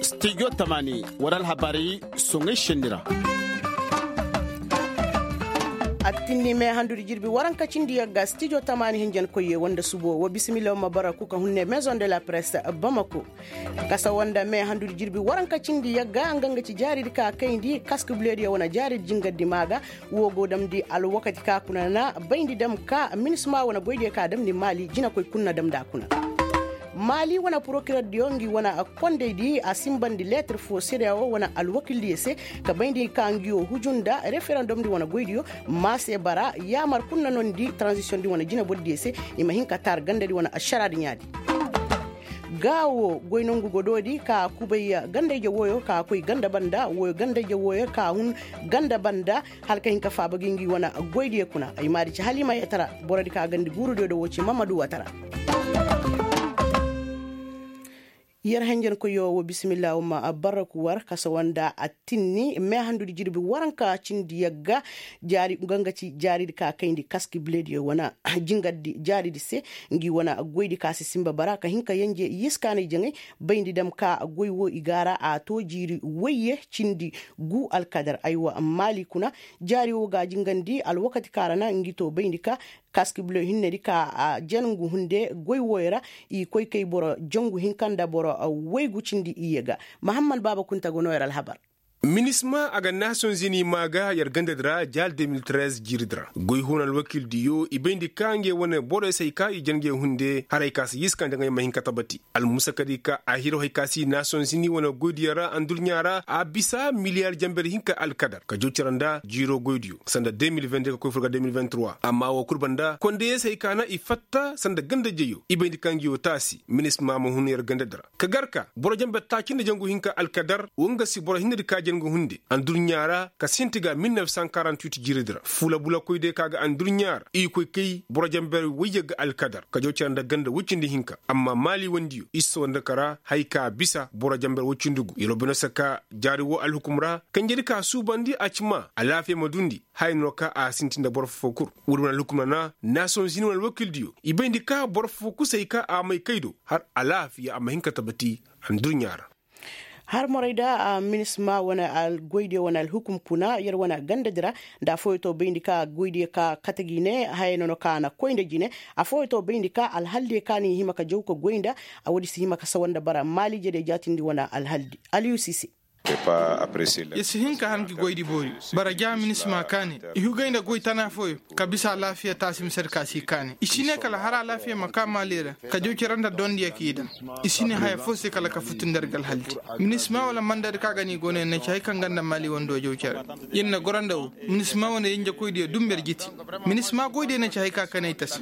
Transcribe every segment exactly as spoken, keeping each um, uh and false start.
Studio tamaani, war alhabaari soŋay senni ra. Attinni me handudi jirbi waranka cindi yagga studio tamaani hinjankoyye wanda subo wa bisimilla wa ma bara kuka hunne maison de la presse bamako. Kasa wanda me handudi jirbi waranka cindi yagga nga nga ci jaaridi ka kayndi kaski bulediyo wane jaaridi jingardi maaga. Wo go damndi alwakati ka kuna na bayndi dam ka minisma wane goydiyo ka damndi maali jinakoy kuna damndi a kuna. Maali wane porokirer diyo ngi wane kondey di a simbandi leetir fo sedeya wo wane alwakil diyo se ka bayndi ka ngi wo huju nda referendom di wane goydiyo. Maase bara yaamar kuna nondi transition di wane jinabor diyo se i ma hin ka taar ganda di wane ašara di ɲaadi. Gaawo goy nongu godo di ka kubay ganda ije woyo ka koy ganda banda woyo ganda ije woyo ka hun ganda banda. Hala ka hin ka faaba ga ngi wane goydiyo kuna ay maadi ci hala i ma yee tara. Boro di ka gandi guuru diyo da wo ci mamadu watara. Yer henjen koyo wo bisimilla wo ma barraku war kasa wanda attinni me handudi jirbi waranka cindi yagga. Jaari nga nga ci jaaridi ka kayndi kaski bilediyo wane jingardi jaaridi se. Ngi wane goydi ka si simba bara ka hin ka yenje yiskaanay jaŋay. Bayndi dam ka goy wo i gaara a to jiiri woyye cindi gu alkadar aywa maali kuna. Jaari wo ga jingandi alwakati ka ra na ngi to bayndi ka kaski bilo hinnedi ka a jangu hunde goy woyo ra. I koy kay boro jangu hinka nda boro woy gu cindi iyye ga. Mahammad baaba kunta go no yer alhabar. Minisma a ga nason zini maa ga yer gandadi ra jaal de mil trez jiiridi ra goy huuna alwakildiyo i bayndi ka nge wane boroyo se hay ka i jan nge hunde haray ka si yiska nda nga ay ma hin ka tabati. Almusakadi ka a hiro hay ka si nason zini wane goydiyo ra andulɲa ra a bisa miliyar janber hinka alkadar ka jaw cere nda jiiro goydiyo sanda de mil vende ka koy fur ga de mil vende trois amma woo kul banda kondeye se hay ka na i fatta sanda ganda jeyo i bayndi ka ngi woo taasi minisma ma hun yer gandadi ra ka gar ka boro janber taaci nda jangu hinka alkadar woo nga si boro hinnedi ka jangu hunde andulɲa ra ka sinti ga mil nef san karant wit jiiridi ra fuula bulakoydiyo ka ga andulɲa ra i koy kay boro janber woyye ga alkadar ka jaw cere nda ganda woy cindi hinka amma maali wondiyo i si soo nda kara hay ka bisa boro janber woy cindi gu yer wo bino se ka jaari woo alhukum ra kanjedi ka suubandi a ci maa alaafiya ma dundi haya no ka a sinti nda boro foo kul. Woodi wane alhukum ra na nason zini wane alwakildiyo i bayndi ka boro foo kul se hay ka a may kay do har alaafiya a ma hin ka tabati. Andulɲa ra har morayda minisma wane goydiyo wane alhukum kuna yer wane gandadi ra. Nda afooyo to bayndi ka goydiyo ka kate gi ne haya no no ka a na koy nda jine. Afooyo to bayndi ka alhaldiyo ka ni hima ka jaw ka goy nda. Woodi si hima ka sawa nda bara maaliijediyo jaatindi wane alhaldi aliyusi se. Yer si hin ka har ngi goydi boori bara ja minisma kaani i hugay nda goy tana fooyo ka bisa alaafiya taasi misedi ka si kaani i si ne kala har alaafiya ma kaa maali ra ka jaw cere nda dondiyo k'i daŋ. I si ne haya foo se kala ka futu nda yer ga alhaldi minisma wala mandadi ka ga ni go no yer na ci hay kaŋ ga nda maali wando jaw cere. Yer na goro nda woo minisma wane yenjekoydiyo dumber jiti minisma goydiyo na ci hay ka kanay tasi.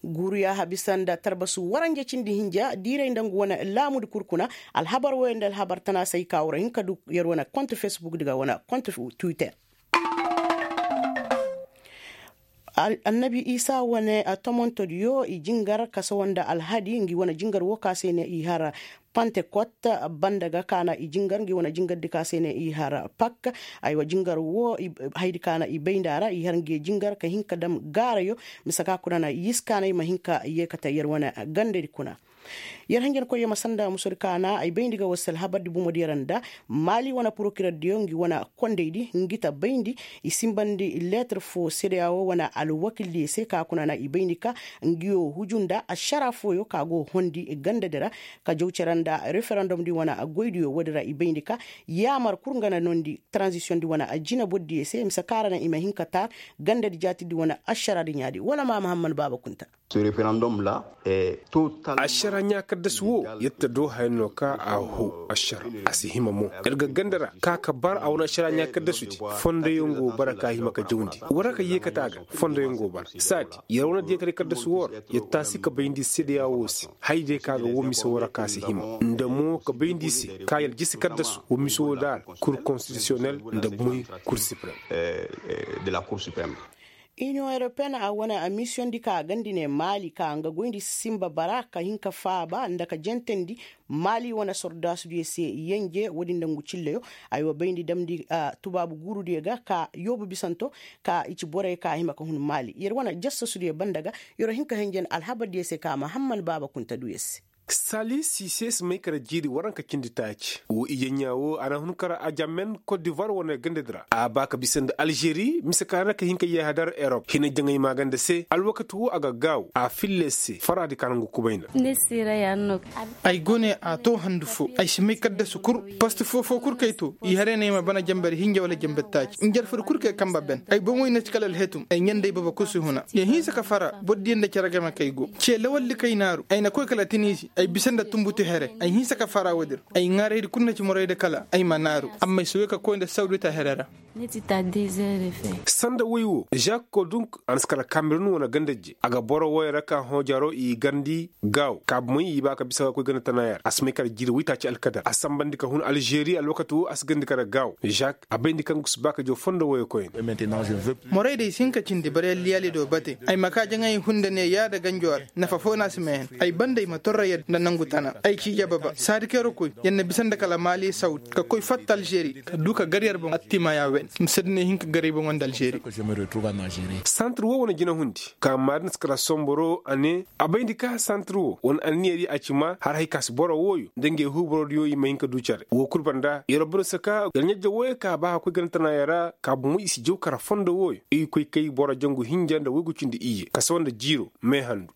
Guuruya habisa nda tarbasu waranja cindi hinja diiray nda ngu wane laamudi kul kuna. Alhabar wooyo nda alhabar tana se ay ka war hin ka du yer wane kont fesbuk di ga wane kont twitter. Annabi isa wane tomontodiyo i jingar kasawa nda alhadi ngi wane jingar woo ka se ne i har pantekot banda ga ka na i jingar ngi wane jingardi ka se ne i har pak. Aywa jingar woo haydi ka na i bay nda ra i har ngi jingar ka hin ka dam gaarayo. Mise ka kuna na yiskaanay ma hin ka yeekate yer wane gandadi kuna. Yer hanjankoyyo ma sanda musodi ka na ay bayndi ga war se alhabardi bumodiyo ra nda maali wane porokirerdiyo ngi wane kondaydi ngi ta bayndi. I simbandi leetir foo sedeya woo wane alwakildiyo se ka kuna na i bayndi ka ngi woo huju nda ašara fooyo ka go hondi gandadi ra ka jaw cere nda referendomdi wane goydiyo woodi ra i bayndi ka yaamar kul nga na noondi taranzisiyondi wane jinabordiyo se mise ka ra na i ma hin ka taar gandadi jaatidi wane ašaradi ɲaadi wala ma mahamman baaba kunta. Ašara ɲaa kaddasu woo yadda do haya no ka a hoo ašara a si hima mo. Yer ga ganda ra ka ka bar a wane ašara ɲaa kaddasudi fondoyaŋ go bara ka hima ka jawndi war ka yeekate a ga fondoyaŋ go bara saadi yer wane diyataray kaddasu woo ra yer taasi ka bayndi sedeya woo se. Hayday ka ga woo mise woo ra ka si hima nda mo ka bayndi se ka yer jisi kaddasu woo mise woo daara kur konstitisiyonel nda moy kur siprem. De la kur siprem. Iniyoŋ europeyen a wane a misiyoŋ di ka a gandi ne maali ka nga goyndi sinba bara ka hin ka faaba nda ka jentandi maali wane sordaasudiyo se yenje wo- din nda ngu cilleyo. Ay wa bayndi damndi tubaabu guurudiyo ga ka yoobu bisanto ka i ci borey ka a hima ka hun maali yer wane jassasudiyo banda ga. Yer wa hin ka henjen alhabardiyo se ka mahamman baaba kuntaduyo se. Sali sise si may kara jiiri waranka cindi taaci wo ijeɲɲa wo a na hun kara ajamen kot divoir wane gandadi ra a ba ka bisa nda alžeri mise ka na ka hin ka yeeha dar erop hina jaŋay maaganda se alwakati wo a ga gaaw a filla se faradi ka na ngu kubay nda. Ay go ne a to handu fo ay si may kaddasu kul post foo foo kul kay to i haray no ay ma bana jambar hinja wala jambar taaci njarfari kul kay kamba ben ay boŋoy na ci kala alhetum ay ɲanday baba kul si huna ya hinsa ka fara boro diya nda cere game kay go ce lawaldi kay naaru ay na koy kala tiniisi ay bisa nda tumbutu here ay hinsa ka fara woodi ra ay ŋaaraydi kul na ci morayda kala ay ma naaru amma ay si wey ka koy nda sawdita here ra. Sanda woy wo žak kodunk a na si kala kamerun wane ganda je a ga boro woy ra ka hõ jaro i garndi gaaw kaabumey i ba ka bisa ka koy ganda tana ya ra a si may kala jiiri woytaaci alkadar a sambandi ka hun alžeri alwakati wo a si garndi kala gaaw žak a bayndi kaŋ ga si ba ka jaw fondo woyo koyne. Morey day si hin ka cindi bare liyaali do bate ay ma ka jaŋay hunda ne yaada ganjo ra nafa foo no a si meehan ay banda ay ma torra yer nda nangu tana ay ciija baba saadi kayra koy yer na bisa nda kala maali sawdi ka koy fatta alžeri ka du ka gar yer boŋ attimaya wen mise da ne hin ka gar ay boŋo nda alžeri. Santir wo wane jinahundi ka maadin si kara somboro a ne a bayndi ka santir wo wane anniya di a ci ma har hay ka si boro wooyo nda ngey huuborodiyo i ma hin ka du care wo kul banda yer boro saka yer ɲajja wooyo ka ba ka koy gana tana ya ra ka bumo i si jaw kara fondo wooyo i koy kay boro jangu hinja nda waygu cindi iyye kasawa nda jiiro meehandu.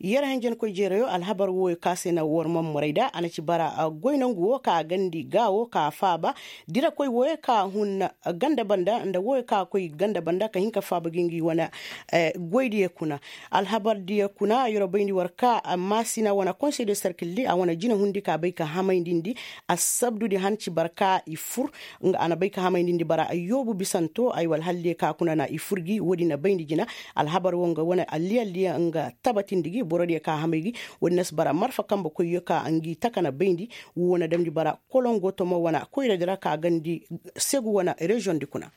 Yer hanjankoy jeerayo alhabar wooyo ka se na war man moray da a na ci bara goy nangu wo ka gandi gaawo ka faaba dirakoy wooyo ka hun ganda banda nda wooyo ka koy ganda banda ka hin ka faaba ga ngi wane goydiyo kuna. Alhabardiyo kuna yer bayndi war ka maasina wane konsey de serkil di a wane jinahundi ka bay ka hamayndi ndi assabdudi han ci bara ka i fur nga a na bay ka hamayndi ndi bara ayyoobu bisanto ay wala haldiyo ka kuna na i fur gi woodi na bayndi jina. Alhabar wo nga wane alliyalliyo nga tabatindi gi borodiyo ka hamay gi woodi na si bara marfa kambe koyyo ka ngi taka na bayndi. Wo na damndi bara kolongo tomo wane koyradi ra ka gandi segu wane reziyoŋ di kuna.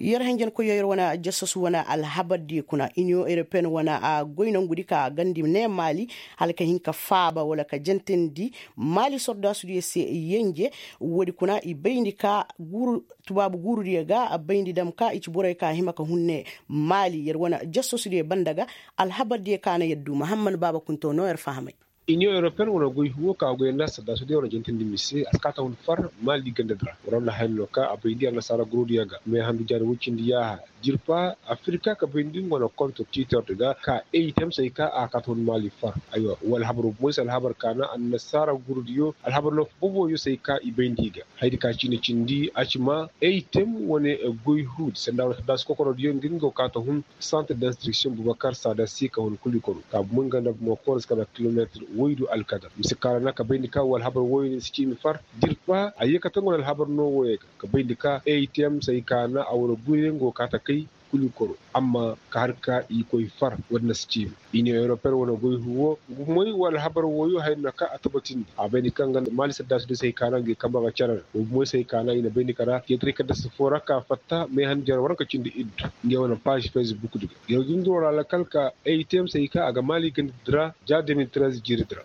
Yer hanjankoyyo yer wane jasasu wane alhabardiyo kuna iniyoŋ europeyen wane a goy nongudi ka gandi ne maali hala ka hin ka faaba wala ka jentandi maali sordaasudiyo se yenje. Woodi kuna i bayndi ka guuru tubaabu guurudiyo ga a bayndi dam ka i ci borey ka hima ka hun ne maali yer wane jasasu diyo banda ga. Alhabardiyo ka na yer du mahamman baaba kunto no yer fahamay. Iniyoŋ europeyen wane goy huwo ka a goy nda saddaasudiyo wane jentandi mise a si kaa ta hun far maali gandadi ra war wane haya no ka a bayndi annasaara guurudiyo ga meehandu jaari woy cindi yaaha jirpa afirka ka bayndi nga wane konto tiitordi ga ka eytem se ay ka a kaa ta hun maali far. Aywa wala habar wo bumoy se alhabar ka na annasaara guurudiyo alhabar no fo boboyo se ay ka i bayndi ga hayadi ka ciine cindi a ci ma eytem wane goy huudi sanda wane saddaasi kokorodiyo nga nga go kaa ta hun santir d'instruction bubakar saada se ka hun kuli kono ka bumay nga nda bumay kooro si ka na kilometir woy du alkadar mise ka ra na ka bayndi ka wala habar woy ne si ciimi far. Jirpa a yeekate nga wane alhabar no woy ga ka bayndi ka eytem se ay ka na a wane goy ne nga go kaa ta kay kuli kono amma ka har ka i koy far woodi na si ciimi. Iniyoŋ europeyen wane goy huwo nga bumay wala habar woyo haya no ka a tabatindi a bayndi ka nga maali saddaasudiyo se ay ka na nga i kamba ga care ra nga bumay se ay ka na i na bayndi ka ra jeetaray ka dasa foo ra ka fatta meehan jare waranka cindi iddu. Ngey wane paazi facebook di ga yer ga dunguro ra lakal ka eytem se ay ka a ga maali gandadi ra ja deux mille treize jiiridi ra.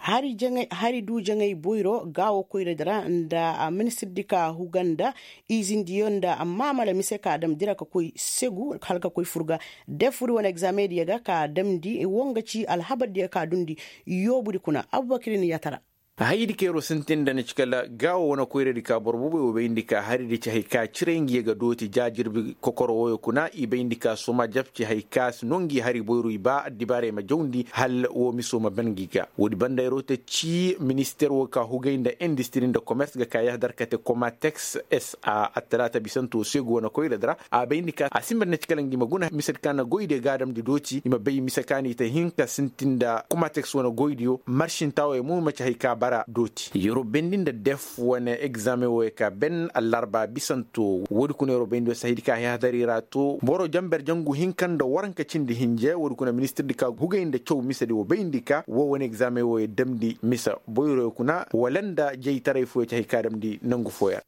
Hari du jaŋay boyro gaawo koyradi ra nda ministirdi ka huga nda izindiyo nda maamala mise ka damndi ra ka koy segu hala ka koy fur ga defuri wane egzameŋ diyo ga ka damndi wo nga ci alhabardiyo ka dundi. Yoobudi kuna abubakir ni yatara. Hayadi kaŋ yer wo sintin nda ni ci kala gaawo wane koyradi ka boro boobey wo bayndi ka haridi ci hari ka ciray nga ye ga dooti ja jirbi kokoro wooyo kuna i bayndi ka soma jab ci hari ka si no ngi hari boyro i ba addibaaray ma jawndi hala woo miso ma ban ngi ga. Woodi banda yer wo te ci ministeer woo ka hugay nda indistiri nda komers ga ka yahadar kate komateks s a attalaata bisanto seegu wane koyradi ra a bayndi ka a sinba nda ni ci kala ngi ma guna misedi ka na goydiyo ga a damndi dooti i ma bay mise ka no i te hin ka sintin nda komateks wane goydiyo marsintaa wooyo mo ma ci hari ka bara dooti yer wo bayndi nda def wane egzaameŋ wooyo ka ben allarba bisanto woodi kuna yer wo bayndi woo se hayadi ka hayhadari ra to boro jamber jangu hinka nda waranka cindi hinje woodi kuna ministirdi ka hugay nda caw misedi woo bayndi ka woo wane egzaameŋ wooyo damndi mise boyroyo kuna wala nda jaytaray fooyo ci hari ka damndi nangu fooyo ra.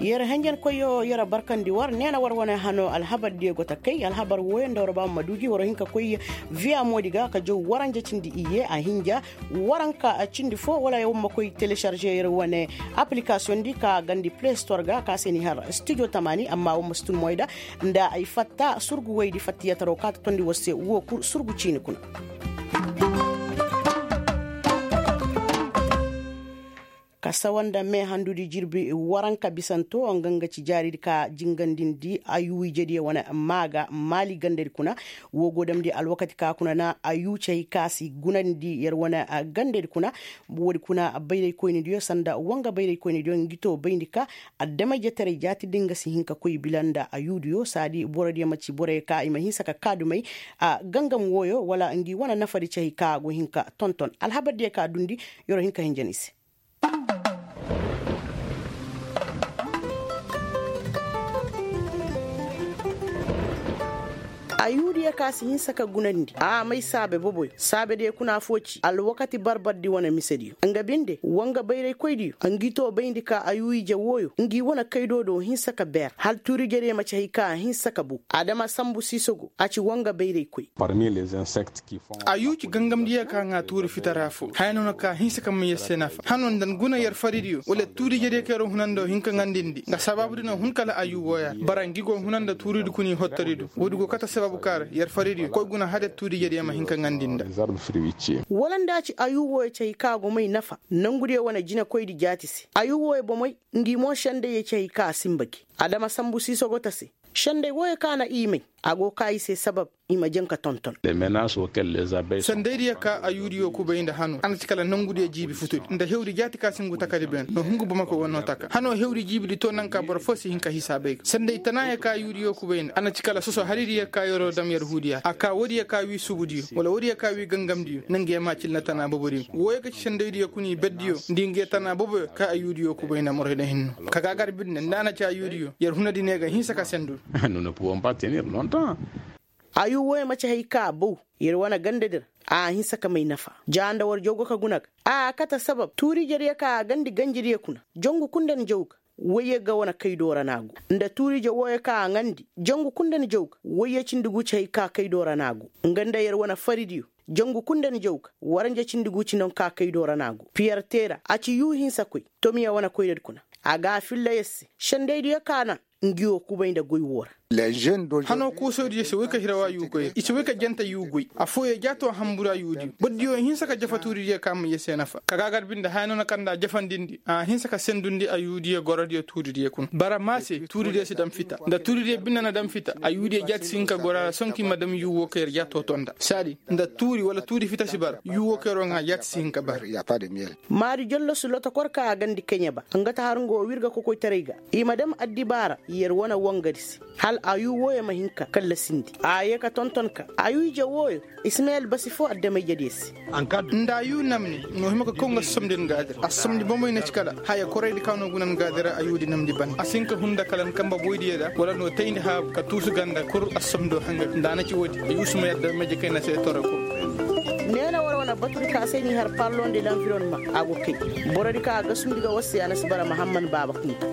Yer henjen koyyo yer barkandi war neena war wane hano alhabar diyo go ta kay alhabar wooyo nda war ba ma duuji war hin ka koy viya moodi ga ka jow waranja cindi iyye a hinja. Waranka cindi fo wala war ma koy telesarže yer wane aplikasiyoŋ di ka gandi play store ga ka se ni har studio tamaani amma war ma si tun moy da nda ay fatta surgu woydi fattiyataro ka ta tondi war se woo kul surgu ciini kuna. Ka sawa nda meehandudi jirbi waranka bisanto nga nga ci jaaridi ka jingandindi ayuu ijediyo wane maaga maali gandedi kuna. Woo go damndi alwakati ka kuna na ayuu cay ka si gunandi yer wane gandedi kuna. Woodi kuna bayraykoynidiyo sanda wanga bayraykoynidiyo ngi too bayndi ka adama-ijetaray jaatidi nga si hin ka koy bila nda ayuudiyo saadi borodiyo ma ci boroyo ka i ma hinsa ka kaadumay gangam wooyo wala ngi wane nafadi cay ka go hin ka tonton alhabardiyo ka dundi. Yer wo hin ka hinjan i se. Ayuudiyo ka si hinsa ka gunandi a may saabe boboyo saabediyo kuna foo ci alwakati barbardi wane misediyo nga binde wanga bayraykoydiyo ngi too bayndi ka ayuu ije wooyo ngi wane kaydoo do hinsa ka beer hal tuurijediyo ma ci hay ka a hinsa ka bow. Adama sambu siisogo a ci wanga bayraykoy. Ayuu ci gangamdiyo ka ŋaa tuuri fitara foo haya no na ka hinsa ka may yer se nafa hano nda ni guna yer faridiyo wala tuurijediyo ka yer wo hunanda wo hin ka ŋandindi nga sabaabu di na hun kala ayuu wooyo ra bara ngi go huna nda tuuridi kuna i hottodi do woodi go kate sabaabu ka ra yer faridiyo koy guna hade tuurijediyo ma hin ka ŋandindi nda. Wala nda a ci ayuu wooyo ci hay ka go may nafa nongudiyo wane jinekoydi jaati se ayuu wooyo bomey ngi mo sendayyo ci hay ka a sinba gi. Adama sambu siisogo ta se senday wooyo ka na i may a go kaa i se sabab i ma jaŋ ka tonton. Sendaydiyo ka ayuudiyo kubay nda hano a na ci kala nongudiyo jiibi futudi nda hewdi jaati ka si ngu takadi beene no hungu bamako go noo taka hano hewdi jiibidi too naŋ ka boro foo si hin ka hisaabay ga senday tanaayo ka ayuudiyo kubay nda a na ci kala soso haridiyo ka yeroo dam yer huudiyo a kaa woodiyo ka wii sugudiyo wala woodiyo ka wii gangamdiyo na ngi yer ma cil nda tanaa bobodiyo wooyo ga ci sendaydiyo kuna i berdiyo nda i ngi yer tanaa boboyo ka ayuudiyo kubay nda moroy nda hinno ka gaagar binde nda a na ci ayuudiyo yer hunadi ne ga hinsa ka sendu. Ayuu wooyo ma ci hay ka a bow yer wane gandedi ra a hinsa ka may nafa ja nda war jaw go ka guna ga a kate sabab tuurijediyo ka a gandi ganjidiyo kuna jongu kul nda ni jaw ga woyye ga wane kaydoo ra no a go nda tuurije wooyo ka a ŋandi jongu kul nda ni jaw ga woyye cindi gu ci hay ka kaydoo ra no a go nga nda yer wane faridiyo jongu kul nda ni jaw ga waranja cindi gu ci naŋ ka kaydoo ra no a go piyer teera a ci yuu hinsakoy tomiya wane koynadi kuna a ga a filla yer se sendaydiyo ka na ngi wo kubay nda goy woo ra. Hanoo koosodiyo se woy ka hiraw ayuu goy ra i si woy ka janta yuu goy affooyo jaatoo hanbur ayuudiyo bordiyo hinsa ka jafa tuuridiyo ka may yer se nafa ka gaagar binde haya no na kar nda a jafandindi a hinsa ka sendundi ayuudiyo gorodiyo tuuridiyo kuna bara maa se tuuridiyo si dam fita nda tuuridiyo binde na dam fita ayuudiyo jaati si hin ka gora ra sonki ma dam yuu woo ka yer jaatoo too nda saadi nda tuuri wala tuuri fita si bara yuu woo ka yer woo ŋaa jaati si hin ka bara. Maari jollosu lotokor ka a gandi keɲe ba nga ta har nga woo wirga kokoytaray ga i ma dam addibaa ra yer wane wangadi se hal ayuu wooyo ma hin ka kallasindi a yee ka tonton ka ayuu ije wooyo ismayel basi foo adama-ijediyo se. Nda ayuu namni n'o hima ka kaw nga somdi ni gaadi ra a somdi bomey na ci kala haya koraydi ka n'o guna ni gaadi ra ayuudi namdi bane a si hin ka hun nda kala ni kamba boydiyo ra wala n'o tayndi haabu ka tuusu ganda kul a somdo hanga nda a na ci woodi ayuu sumay adama-ije kayna se toro kul. Neena war wane batudi ka se n'i har parlon de lanvironma a go kay borodi ka a gasundi ga war se a na si bara mahamman baaba kunta.